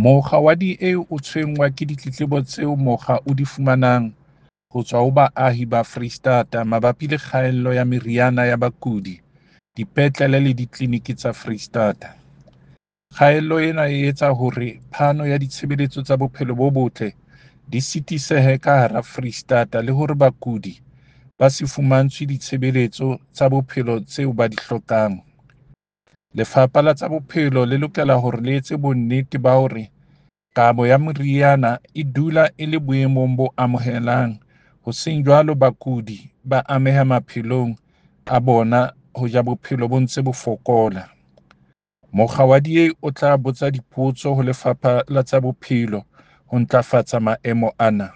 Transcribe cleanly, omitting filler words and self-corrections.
Mokga wa DA o tshwenngwa ke ditletlebo tseo mokga o di fumanang ho tswa ho baahi ba Foreisetata mabapi le kgaello ya meriana ya bakudi dipetlele le ditleliniki tsa Foreisetata. Kgaello ena e etsa hore phano ya ditshebeletso tsa bophelo bo botle di sitisehe ka hara Foreisetata le hore bakudi ba se fumantshwe ditshebeletso tsa bophelo tseo ba di hlokang. Lefapha la tsa Bophelo le lokela hore le etse bonnete ba hore kabo ya meriana e dula e le boemong bo amohelang ho seng jwalo bakudi ba ameha maphelong a bona hoja bophelo bo ntse bo fokola. Mokga wa DA o tla botsa dipotso ho Lefapha la tsa Bophelo ho ntlafatsa maemo ana.